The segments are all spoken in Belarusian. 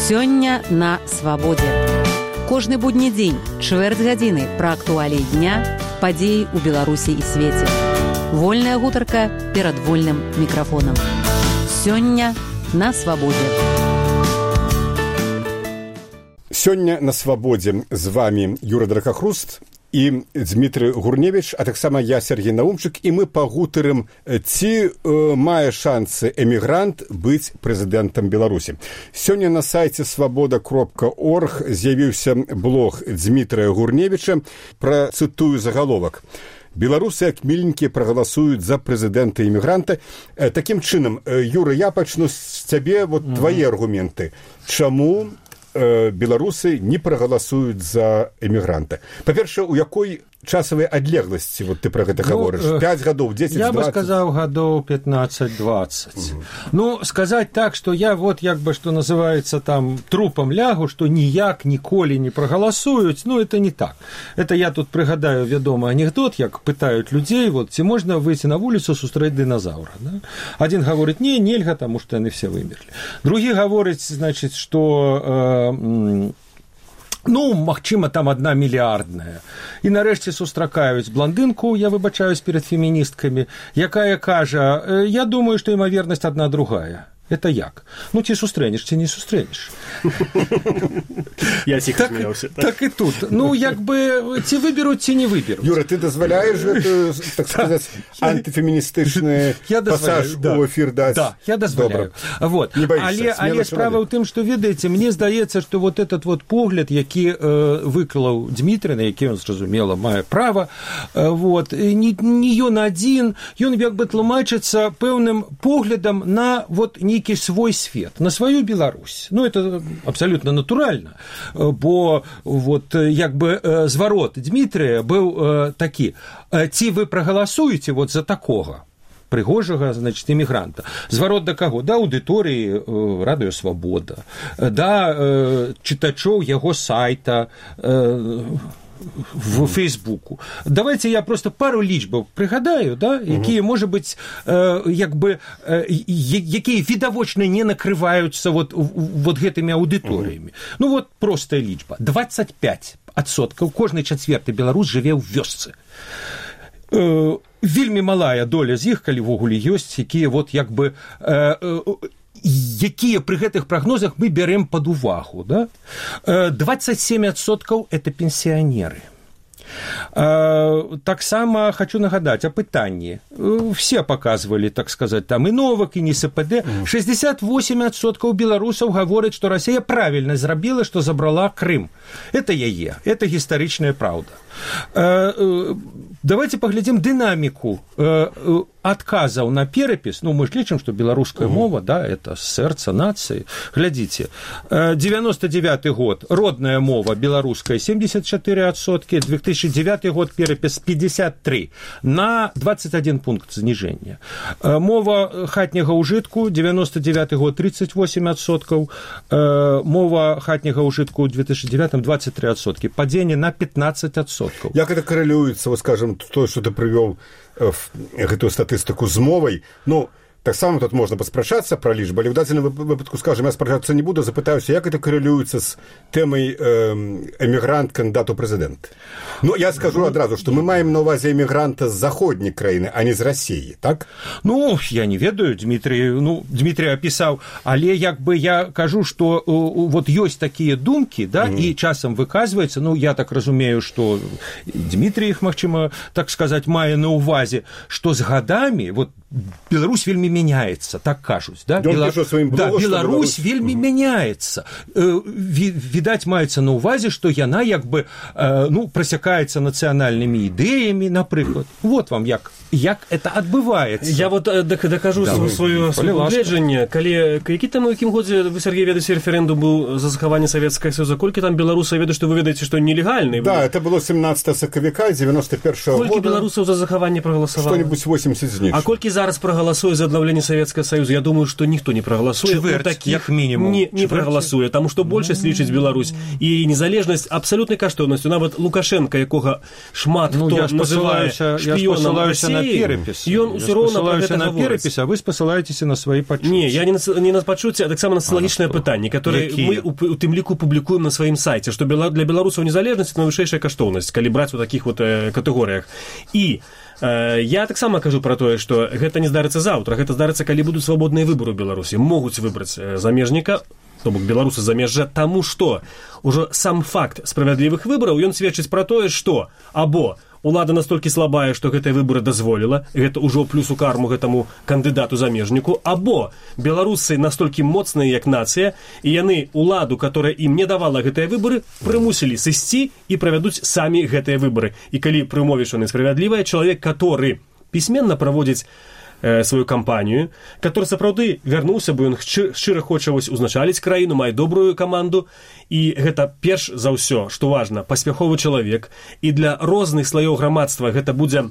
Сёння на свабодзе. Кожны будні дзень, чвэрць гадзіны пра актуаліі дня, падзеі ў Беларусі і свеце. Вольная гутарка перад вольным мікрафонам. Сёння на свабодзе. Сёння на свабодзе з вами Юра Дракахруст і Дмітрый Гурневіч, а таксама я, Сергей Наумчык, і мы пагутарым, ці мае шансы эмігрант быць прэзідэнтам Беларусі. Сёння на сайце свабода.орг з'явіўся блог Дмітрыя Гурневіча, працытую загаловак. Беларусы, як міленькія, прагаласуюць за прэзідэнта эмігранта. Такім чынам, Юра, я пачну з цябе, твае аргументы. Чаму беларусы не прагаласуюць за эмігранта? Па-першае, у якой часавай адлегласці ты пра гэта гаворыш? 5 гадоў, 10, 20? Я бы сказаў, гадоў 15-20. Сказаць так, што я что называется, там, трупам лягу, што ніяк ніколі не прагаласуюць, это не так. Это я тут прыгадаю вядомы анекдот, як пытаюць людзей, ці можна выйти на вуліцу сустрэць дыназаўра. Да? Адзін гаворыць, нельга, таму што яны все вымерлі. Другі гаворыць, значыць, што магчыма, там 1 мільярдная. І нарэшце сустракаюць блондынку, я выбачаюсь перед феміністкамі, якая кажа, я думаю, што імавернасць адна другая. Это як? Ці сустрэнеш, ці не сустрэнеш. Я ціха смеялся. Так і тут. Ці выберуць, ці не выберуць. Юра, ты дазваляеш гэту, так сказаць, антыфеміністычны пасаж у эфір даць? Да, я дазваляю. Але справа ў тым, што, ведаеце, мне здаецца, што этот погляд, які выклаў Дмітрый, на які ён, зразумела, мае права, не ён адзін, ён як бы тлумачыцца пэўным поглядам на нейкі свой свет, на сваю Беларусь. Это абсолютно натуральна, бо зварот Дмітрыя быў такі: ці вы прагаласуеце за такога прыгожага, эмігранта. Зварот да каго? Да аўдыторыі Радыё Свабода, да чытачоў яго сайта, в Фейсбуку. Давайте я просто пару лічбаў прыгадаю, якія, можа быць, якія відавочна не накрываюцца гэтымі аўдыторыямі. Простая лічба. 25%, кожны чацвёрты беларус жыве ў вёсцы. Вельмі малая доля з іх, калі ввогуле ёсць, якія якія пры гэтых прагнозах мы бярем пад увагу. 27% – это пенсіянеры. Таксама хочу нагадаць о пытанні. Все показывали, так сказать, там и Новак, и НСПД. 68% беларусаў гавораць, што Расія правільна зрабіла, што забрала Крым. Это яе, это гістарычная праўда. Давайте поглядим дынаміку адказаў на перапіс. Мы ж лічым, што беларуская мова, это сэрца нацыі. Глядзіце, 99 год, родная мова беларуская 74%, 2009 год перапіс 53, на 21 пункт зніжэння. Мова хатняга ўжытку, 99 год 38%, мова хатняга ўжытку ў 2009 23%, падзенне на 15%. Як это коррелюецца, скажем, то, что ты прывёў гэтую статыстыку з мовай? Так само тут можна паспрачацца пра лічбы, але ў дадзеным выпадку, скажем, я спрачацца не буду, запытаюся, як это коррелюецца з тэмай эмігрант кандыдат у прэзідэнт. Я скажу адразу, што мы маем на ўвазе эмігранта з заходняй краіны, а не з Расіі, так? Я не ведаю, Дмітрый апісаў, але я кажу, што ёсць такія думкі, і часам выказваецца, я так разумею, што Дмітрый іх, магчыма, так сказаць, мае на ўвазе, што з гадамі, Беларусь вельмі мяняецца, так кажуць. Беларусь вельмі мяняецца. Відаць, маецца на ўвазе, што яна прасякаецца нацыянальнымі ідэямі, напрыклад. Вам як это адбываецца. Я дакажу сваё пагледжанне. Які там у якім годзе вы, Сергей, ведаеце, рэферэндум быў за захаванне Савецкага Саюза? Колькі там беларусаў ведаюць, што вы ведаеце, што нелегальны? Да, это было 17 сакавіка 91-го года. Колькі беларусаў за захаванне прагаласавала? Што-нибудь 80 з них. А колькі зараз зараз прагаласуе за аднаўленне Савецкага Саюза? Я думаю, што ніхто не прагаласуе. Чвэрць, як мінімум. Не прагаласуе, таму што большасць лічыць Беларусь. І незалежнасць абсалютнай каштоўнасцю. Нават Лукашенка, якога шмат хто называе шпіёнам Расіі, ён усё роўна пра гэта на перапіс, а вы спасылаецеся на свае пачуцці. Не, я не на пачуцці, а таксама на сацыялагічнае пытанне, которое мы у тым ліку публікуем на сваім сайце, што для беларусаў незалежнасць — найвышэйшая каштоўнасць, калі браць у такіх вот катэгорыях. І я таксама кажу пра тое, што гэта не здарыцца заўтра, гэта здарыцца, калі будуць свабодныя выбары ў Беларусі. Могуць выбраць замежніка, то бок беларусы замежжа, таму што ўжо сам факт справядлівых выбараў, ён сведчыць пра тое, што або улада настолькі слабая, што гэтыя выбары дазволіла, гэта ўжо плюс у карму гэтаму кандыдату-замежніку, або беларусы настолькі моцныя, як нацыя, і яны уладу, которая ім не давала гэтыя выбары, прымусілі сысці і правядуць самі гэтыя выбары. І калі пры умове, што яны справядлівыя, чалавек, который пісьменна праводзіць сваю кампанію, который сапраўды вярнуўся, бо ён шчыра хоча узначаліць краіну, мае добрую каманду, і гэта перш за ўсё, што важна, паспяховы чалавек, і для розных слаёў грамадства гэта будзе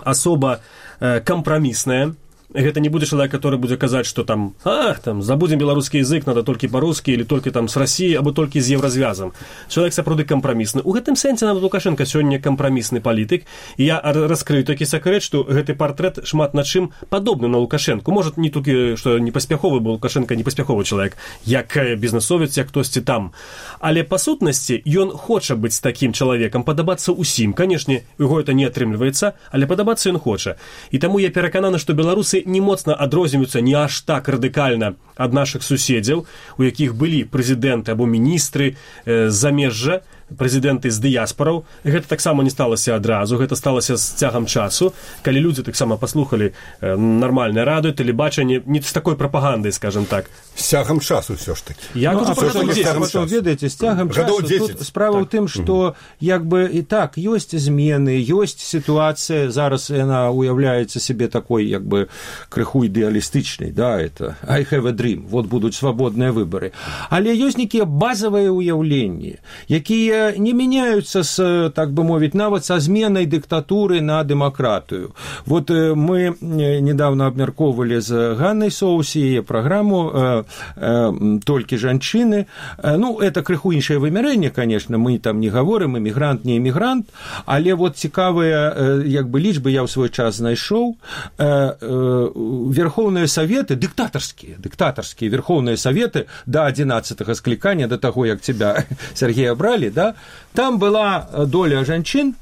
асоба кампрамісная. Гэта не будзе чалавек, который будзе казаць, што там забудзем беларускі язык, надо толькі па-рускі, или толькі там з Расіі, або толькі з еўразвязам. Чалавек сапраўды кампрамісны. У гэтым сэнсе нават Лукашенко сёння кампрамісны палітык, і я раскрыю такі сакрэт, што гэты партрэт шмат на чым падобны на Лукашенку. Можа, не толькі, што непаспяховы, бо Лукашенко непаспяховы чалавек, як бізнесовец, як хтосьці там. Але па сутнасці ён хоча быць такім чалавекам, падабацца ўсім. Канешне, у яго это не атрымліваецца, але падабацца ён хоча. І таму я перакананы, што беларусы не моцна адрозніваюцца не аж так радыкальна ад нашых суседзяў, у якіх былі прэзідэнты або міністры з замежжа, прэзідэнты з дыяспараў. Гэта таксама не сталася адразу, гэта сталася з цягам часу, калі людзі таксама паслухалі нармальнае радыё, тэлебачанне, не з такой прапагандай, скажем так. З цягам часу ўсё ж такі. Ведаеце, з цягам часу тут справа ў тым, што як бы і так ёсць змены, ёсць сітуацыя, зараз яна уяўляецца сябе такой як бы крыху ідэалістычнай, да, это I have a dream, вот будуць свабодныя выбары. Але ёсць нейкія базавыя ўяўленні, якія не меняются с, так бы мовить, нават со зменой диктатуры на демократию. Вот мы недавно обмярковывали с Ганной Соус ее программу «Толькі жанчыны». Ну, это крыху іншае вымярэнне, конечно, мы там не говорим, эмігрант, не эмігрант, але вот цікавыя, як бы, лічбы я ў свой час знайшоў. Верховные Советы, диктаторские Верховные Советы до 11-го скликания, до того, як тебя, Сергея, брали, да, там была доля жанчын,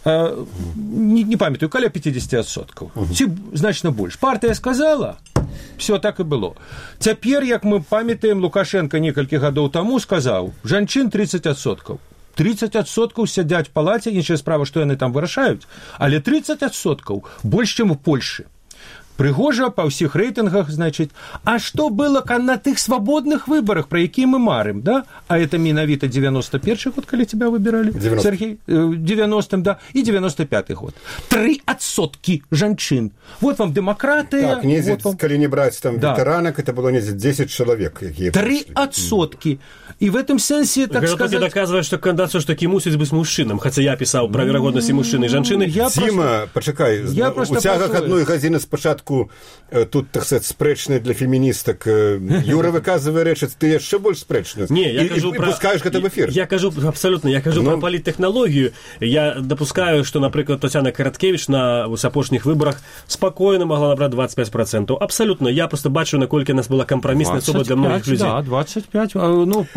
не памятаю, каля 50%. Ці значна больш. Партыя сказала, все так і было. Цяпер, як мы памятаем, Лукашенко некалькі гадоў таму сказаў, жанчын 30%. 30% сядзяць в палаце, іншая справа, што яны там вырашаюць, але 30% больш, чым у Польшы. Прыгожа па ўсіх рэйтынгах, значит, а што было на тых свабодных выбарах, пра якія мы марым, да? А это менавіта 91-й год, калі тебя выбіралі, Сергей, 90-м, да, і 95-й год. 3% жанчын. Вот вам дэмакратыя. Так, недзе, вот вам... калі не браць там ветэранак, это было недзе 10 чалавек, якія 3%. І в этом сэнсе, так сказаць... Гэта доказвае, што кандыдат ўсё-таки мусіць быць мужчынам, хаця я пісаў пра верагоднасці мужчыны і жанчыны. Ціма, пачакай, у цягах адной гадзіны спачатку тут, так сказать, спрэчныя для феміністак. Юра выказвае рэчы, ты яшчэ больш спрэчны. Не, я кажу пра... пускаеш гэта в эфир. Я кажу, абсолютно, я кажу пра паліттэхналогію. Я допускаю, што, напрыклад, Тацяна Караткевіч на апошніх выбарах спакойна могла набраць 25%. Абсолютно. Я просто бачу, наколькі нас была кампрамісная асоба для многіх людзей. Да, 25. Ну,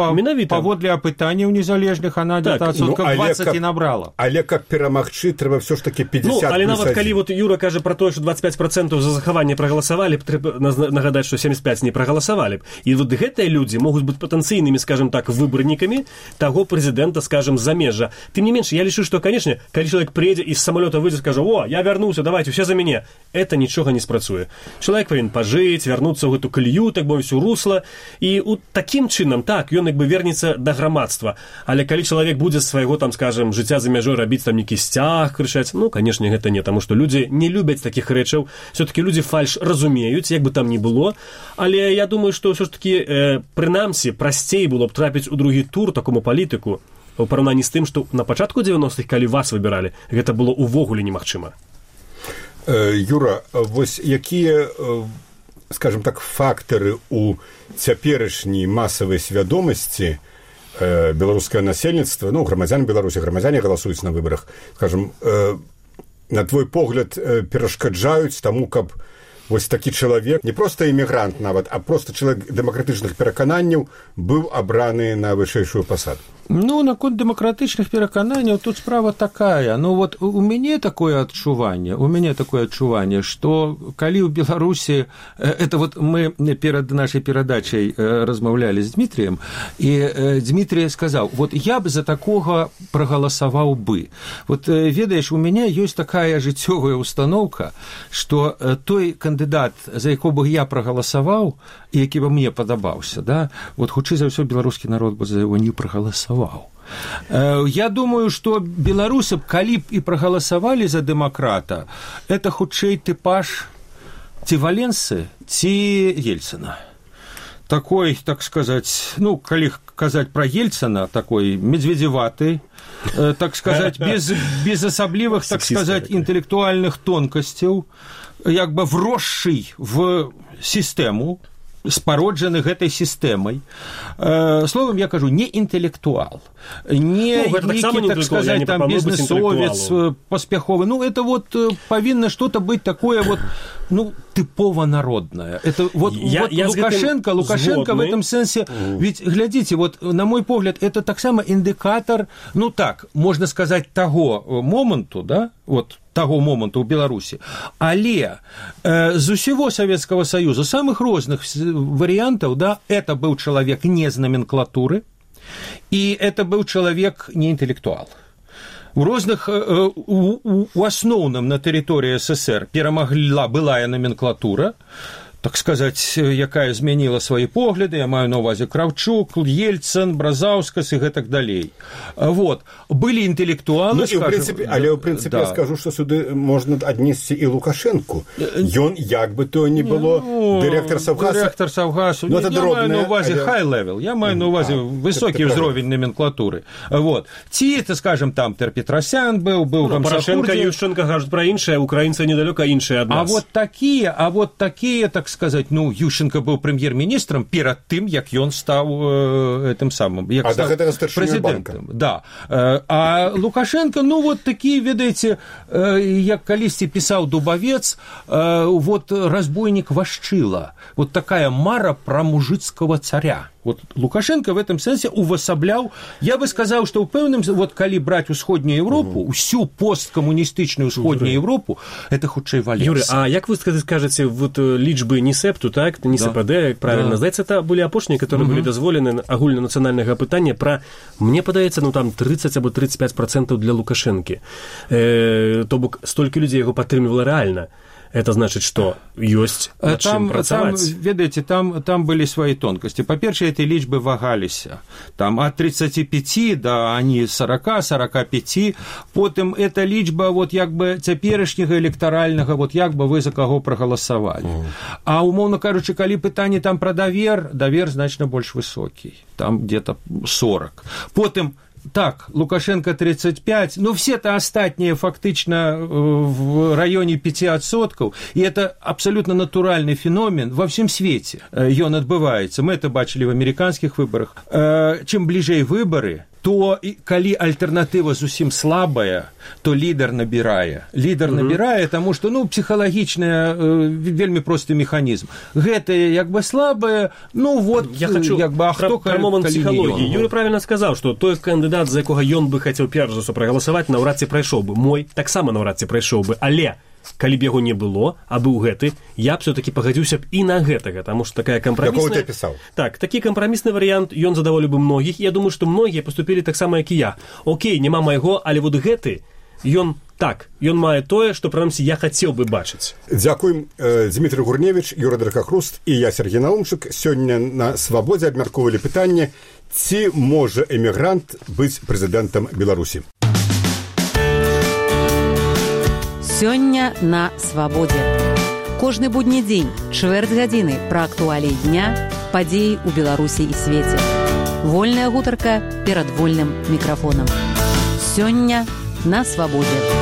паводле апытанняў незалежных, она так, где-то 20 і набрала. Але каб перамагчы, трэба ўсё ж таки 50+1. Ну, але нават калі вот Юра кажа пра тое, што 25% за захаванне прагаласавалі, трэба нагадаць, што 75 не прагаласавалі б. І вот гэтыя людзі могуць быць патэнцыйнымі, скажем так, выбарнікамі таго прэзідэнта, скажем, з замежжа. Тым не менш, я лічу, што, канешне, калі чалавек прыедзе і з самалёта выйдзе, скажа: «О, я вярнуўся, давайте, усе за мяне». Это нічога не спрацуе. Чалавек павінен пажыць, вярнуцца ў гэту калію, так бы ўсё русла, і такім чынам, так, ён як бы вернецца да грамадства. Але калі чалавек будзе з свайго, там, скажем, жыцця за мяжой рабіць там нейкі сцяг, крычаць, ну, канешне, гэта не, таму што людзі не любяць такіх рэчаў. Все-таки людзі фальш разумеюць, як бы там ні было, але я думаю, што ўсё ж такі прынамсі прасцей было б трапіць у другі тур такому палітыку у параўнанні з тым, што на пачатку 90-х, калі вас выбіралі, гэта было ўвогуле немагчыма. Юра, вось якія, скажем так, фактары у цяперашняй масавай свядомасці беларускае насельніцтва, ну, грамадзян Беларусі, грамадзяне галасуюць на выбарах, скажем, на твой погляд, перашкаджаюць таму, каб вось такі чалавек, не проста эмігрант нават, а проста чалавек дэмакратычных перакананняў быў абраны на вышэйшую пасаду? Ну, наконт дэмакратычных перакананняў тут справа такая. Ну, вот у мяне такое адчуванне, што калі ў Беларусі, это вот мы перад нашай перадачай размаўлялі з Дмітрыем, і Дмітрый сказаў, вот я б за такога прагаласаваў бы. Вот ведаеш, у мяне ёсць такая жыццёвая установка, што той кандыдат, за якого бы я прагаласаваў, і які бы мне падабаўся, да, вот хутчэй за ўсё беларускі народ бы за яго не прагаласаваў. Я думаю, што беларусы б, калі б і прагаласавалі за дэмакрата, это хутчэй тыпаж ці Валенсы, ці Ельцына. Такой, так сказаць, ну, калі казаць пра Ельцына, такой медведзеваты, так сказаць, без асаблівых, так сказаць, інтэлектуальных тонкасцяў, як бы вросший в сістэму, спароджаны гэтай сістэмай. Словом, я кажу, не інтэлектуал, не нейкі, так сказать, там бізнесовец паспяховы. Ну, это вот павінна что-то быть такое вот, ну, тыпово народное. Это вот Лукашенко в этом сенсе, ведь, глядите, вот, на мой погляд, это так само индикатор, ну, так, можно сказать, того моменту, да, вот, того моменту ў Беларусі. Але з усего Советского Союза, самых розных вариантов, да, это был человек не з номенклатуры, и это был человек не интеллектуал. У розных, у асноўным на тэрыторыі СССР перамагла былая номенклатура, так сказать, якая змяніла свае погляды, я маю на ўвазе Кравчук, Ельцин, Бразаўскас і гэтак далей. Вот. Былі інтэлектуалы, ну, скажем... Але, ў прынцыпе, да. Я скажу, што сюды можна аднесці і Лукашэнку. Ён, як бы то не было, дырэктар Саўгаса. Дырэктар Саўгасу. Ну, я маю на ўвазе high-level, я маю на ўвазе высокі ўзровень номенклатуры. Вот. Ці, это, скажем, там Петросян быў Порошенко, Ющенко кажуць пра іншае, украінцы недалёка іншыя ад нас. А вот такие, так сказать, ну, Ющенко был премьер-министром перед тем, як ён стал этим самым, як стал президентом. Да. А Лукашенко, ну, вот такие, ведаете, як калісьці писал Дубовец, вот разбойник Вашчила, вот такая мара про мужицкого царя. Вот Лукашенко в этом сенсе увасабляў, я бы сказал, что ў пэўным, вот калі браць усходнюю Европу, всю посткоммунистычную усходнюю Европу, это хутчэй Валенса. Юрий, а як вы скажете, вот лічбы НИСЭПТу, так, НИСПД, да. Правильно, да. Здаецца, это были апошнія, которые были дазволены агульнанацыянальнага пытання пра, мне падаецца, ну, там 30 або 35% для Лукашэнкі. То бок, столькі людзей яго падтрымлівала реально. Это значит, что есть над чым працаваць. Там, ведаеце, там были свои тонкости. По-перше, эти лічбы вагаліся. Там от 35 до они 40-45. Потым эта лічба вот як бы цяперашняга электаральнага, вот як бы вы за каго прагаласавалі. А умоўна кажучы, калі пытанне там пра давер значна больш высокі. Там где-то 40. Потым так, Лукашенко 35, но все-то остатние фактично в районе 5%, и это абсолютно натуральный феномен во всем свете. Ён адбываецца. Мы это бачили в американских выборах. Чем ближе выборы, то калі альтэрнатыва зусім слабая, то лідар набірае. Лідар набірае, таму што, ну, псіхалагічная, вельмі просты механізм. Гэтае, як бы, слабае, ну, вот, я хочу як бы, а хто калі момент псіхалогіі. Юрий правильно сказаў, што той кандыдат, за якога ён бы хацеў перш за ўсё прагаласаваць, наўрад ці прайшоў бы. Мой таксама наўрад ці прайшоў бы, але калі б яго не было, а быў гэты, я б все-таки пагадзіўся б і на гэтага, таму што такая кампрамісная... Так, такі кампрамісны варыянт, ён задаволіў бы многіх, я думаю, што многія паступілі таксама, як і я. Окей, няма майго, але вот гэты, ён мае тое, што, прынамсі, я хацеў бы бачыць. Дзякуем. Дмітрый Гурневіч, Юра Дракахруст і я, Сергей Наумчык, сёння на Свабодзе абмяркоўвалі пытанне, ці можа эмігрант быць прэзідэнтам Беларусі. Сёння на Свабодзе. Кожны будні дзень, чвэрць гадзіны пра актуаліі дня, падзеі ў Беларусі і свеце. Вольная гутарка перад вольным мікрафонам. Сёння на Свабодзе.